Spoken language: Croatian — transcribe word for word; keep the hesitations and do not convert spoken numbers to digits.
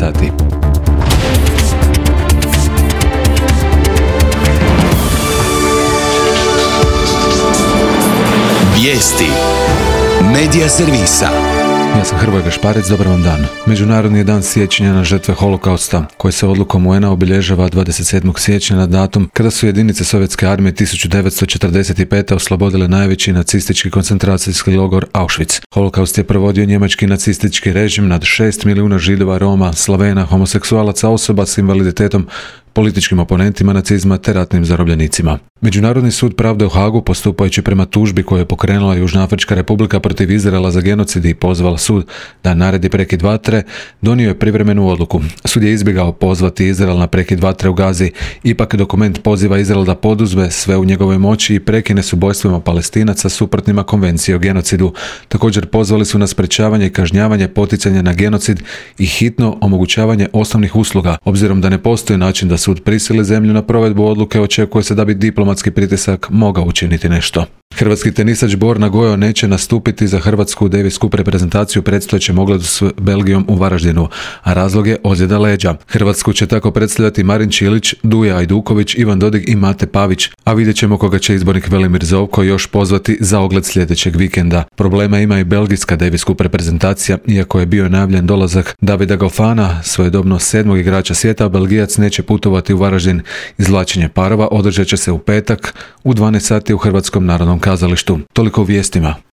sati. Vijesti Medija servisa. Ja sam Hrvoje Gašparec, dobar vam dan. Međunarodni je dan sjećanja na žrtve holokausta, koji se odlukom U N A obilježava dvadeset sedmog siječnja na datum kada su jedinice Sovjetske armije tisuću devetsto četrdeset pete. oslobodile najveći nacistički koncentracijski logor Auschwitz. Holokaust je provodio njemački nacistički režim nad šest milijuna Židova, Roma, Slavena, homoseksualaca, osoba s invaliditetom, političkim oponentima nacizma te ratnim zarobljenicima. Međunarodni sud pravde u Hagu, postupajući prema tužbi koju je pokrenula Južnoafrička republika protiv Izraela za genocid i pozvala sud da naredi prekid vatre, donio je privremenu odluku. Sud je izbjegao pozvati Izrael na prekid vatre u Gazi, ipak dokument poziva Izrael da poduzme sve u njegovoj moći i prekine s ubojstvima Palestinaca suprotnima konvencije o genocidu. Također pozvali su na sprečavanje i kažnjavanje poticanja na genocid i hitno omogućavanje osnovnih usluga. Obzirom da ne postoji način da sud prisili zemlju na provedbu odluke, očekuje se da bi diplomatski pritisak mogao učiniti nešto. Hrvatski tenisač Borna Gojo neće nastupiti za hrvatsku Davis Cup reprezentaciju predstojećem ogledu s Belgijom u Varaždinu, a razlog je ozljeda leđa. Hrvatsku će tako predstavljati Marin Čilić, Duja Ajduković, Ivan Dodig i Mate Pavić, a vidjet ćemo koga će izbornik Velimir Zovko još pozvati za ogled sljedećeg vikenda. Problema ima i belgijska Davis Cup reprezentacija, iako je bio najavljen dolazak Davida Gofana, svojedobno sedmog igrača svijeta, Belgijac neće putovati u Varaždin. Izvlačenje parova održat će se u petak u dvanaest sati u Hrvatskom narodnom kazalištu. Toliko u vijestima.